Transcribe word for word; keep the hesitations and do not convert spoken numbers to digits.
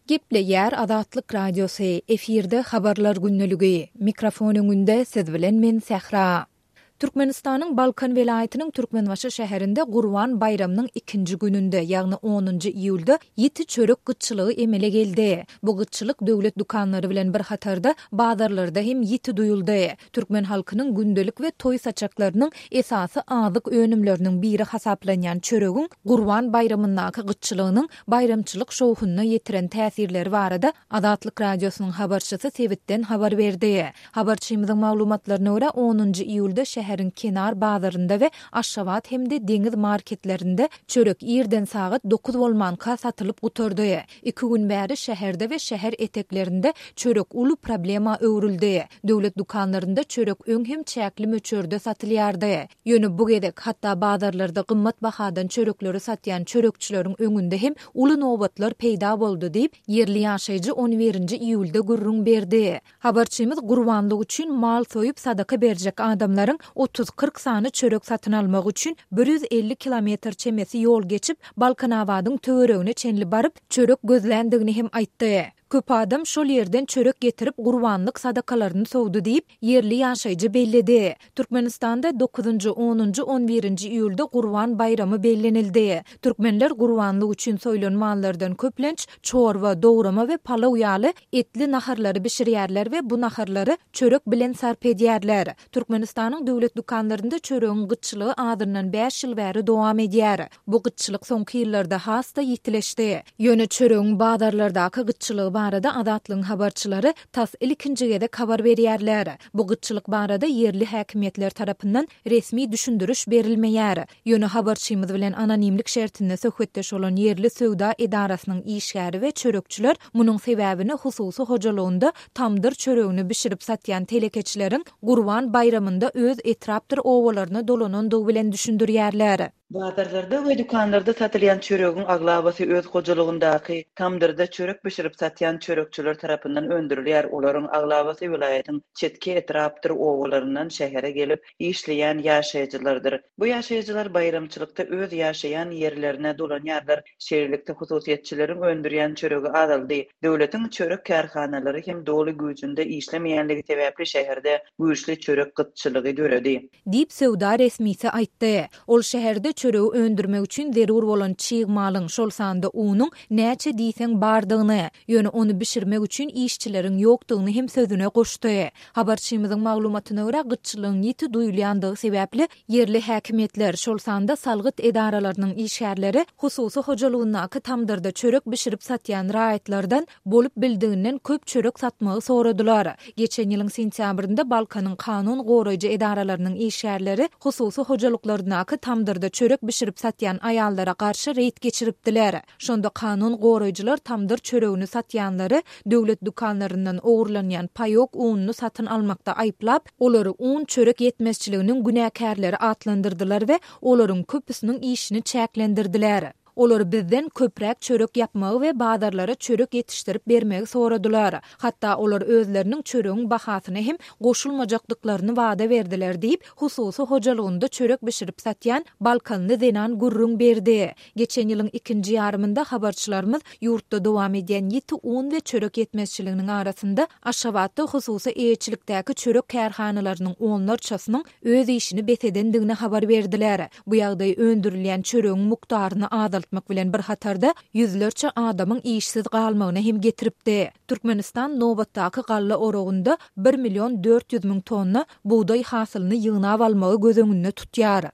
Gepleýär Azatlyk Radiosy, efirde Habarlar gündeligi. Mikrofon öňünde siz bilen men Sähra. Türkmenistanyň Balkan welaýatynyň Türkmenbaşy şäherinde Gurban baýramynyň ikinji gününde, ýagny onunjy iýulda ýiti çörek gytçylygy emele geldi. Bu gytçylyk döwlet dükanlary bilen bir hatarda bazarlarda hem ýiti duýuldy. Türkmen halkynyň gündelik we toý saçaklarynyň esasy azyk önümleriniň biri hasaplanýan çöregiň Gurban baýramyndaky gytçylygynyň baýramçylyk şowhunyna ýetiren täsirleri barada Azatlyk Radiosynyň habarçysy sebitden habar berdi. Habarçymyzyň maglumatlaryna görä, onunjy iýulda şäheriň Kenar bazarynda we Aşgabat hem-de Deňiz marketlerinde çörek irden sagat dokuz bolmanka satylyp gutardy. Iki gün bäri şäherde we şäher eteklerinde çörek uly problema öwrüldi. Döwlet dükanlarynda çörek öň hem çäkli möçberde satylýardy. Ýöne bu gezek, hatda bazarlarda gymmat bahadan çörekleri satýan çörekçileriň öňünde hem uly nobatlar peýda boldy diýip, ýerli ýaşaýjy on birinji iýulda gürrüň berdi. Habarçymyz gurbanlyk üçin mal soýup sadaka berjek adamlaryň otuz-kyrk sany çörek satyn almak üçin bir ýüz elli kilometr çemesi ýol geçip, Balkanabadyň töweregine çenli baryp, çörek gözländigini hem aýtdy. Köp adam şol ýerden çörek getirip gurbanlyk sadakalaryny sowdy diýip, ýerli ýaşaýjy belledi. Türkmenistanda dokuzynjy, onunjy, on birinji iýulda Gurban baýramy bellenildi. Türkmenler gurbanlyk üçin soýlan mallardan köplenç çorba, dograma we palaw ýaly etli naharlary bişirýärler we bu naharlary çörek bilen sarp edýärler. Türkmenistanyň döwlet dükanlarynda çöregiň gytçylygy azyndan bäş ýyl bäri dowam edýär. Bu gytçylyk soňky ýyllarda has-da ýitileşdi. Ýöne çöregiň bazarlardaky gytçylygy barada Azatlygyň habarçylary tas ilkinji gezek habar berýärler. Bu gytçylyk barada ýerli häkimiýetler tarapyndan resmi düşündiriş berilmeýär. Ýöne habarçymyz bilen anonimlik şertinde söhbetdeş bolan ýerli söwda edarasynyň işgäri we çörekçiler munuň sebäbini hususy hojalygynda tamdyr çöregini bişirip satýan telekeçileriň Gurban baýramynda öz etrapdyr obalaryna dolanandygy bilen düşündirýärler. Bazarlarda we dükanlarda satylýan çöregiň aglabasy öz hojalygyndaky tamdyrda çörek bişirip satýan çörekçiler tarapyndan öndürilýär. Olaryň aglabasy welaýatyň çetki etrapdyr obalaryndan şähere gelip işleýän ýaşaýjylardyr. Bu ýaşaýjylar baýramçylykda öz ýaşaýan ýerlerine dolanýarlar. Şeýlelikde hususyýetçileriň öndürýän çöregi azaldy. Döwletiň çörek kärhanalary hem doly güýjünde işlemeýänligi sebäpli şäherde güýçli çörek gytçylygy döredi. Diýip söwda resmisi aýtdy. Ol şäherde çöregi öndürmek üçin zerur bolan çig malyň, şol sanda unuň näçe diýseň bardygyny, ýöne ony bişirmek üçin işçileriň ýokdugyny hem sözüne goşdy. Habarçymyzyň maglumatyna görä, gytçylygyň ýiti duýulýandygy sebäpli ýerli häkimiýetler, şol sanda salgyt edaralarynyň işgärleri hususy hojalygyndaky tamdyrda çörek bişirip satýan raýatlardan bolup bildiginden köp çörek satmagy soradylar. Geçen ýylyň sentýabrynda Balkanyň kanun goraýjy edaralarynyň işgärleri hususy hojalyklaryndaky tamdyrda çörek bişirip satýan aýallara garşy reýd geçiripdiler. Şonda kanun goraýjylar tamdyr çöregini satýanlary döwlet dükanlaryndan ogurlanýan paýok ununy satyn almakda aýyplap, olary un çörek ýetmezçiliginiň günäkärleri atlandyrdylar we olaryň köpüsiniň işini çäklendirdiler. Olar bizden köpräk çörek ýapmagy we bazarlara çörek ýetişdirip bermegi soradylar. Hatda olar özleriniň çöregiň bahasyna hem goşulmajakdyklaryny wada berdiler diýip, hususy hojalygynda çörek bişirip satýan Balkanly zenan gürrüň berdi. Geçen ýylyň ikinji ýarymynda habarçylarymyz ýurtda dowam edýän ýiti un we çörek ýetmezçiliginiň arasynda Aşgabatda hususy eýeçilikdäki çörek kärhanalarynyň onlarçasynyň öz işini bes edendigini habar berdiler. Bu ýagdaý öndürilýän çöregiň mukdaryny azaltmak bilen bir hatarda ýüzlerçe adamyň işsiz galmagyna hem getiripdi. Türkmenistan nobatdaky galla oragynda bir million dört ýüz müň tonna bugdaý hasylyny ýygnap almagy göz öňünde tutýar.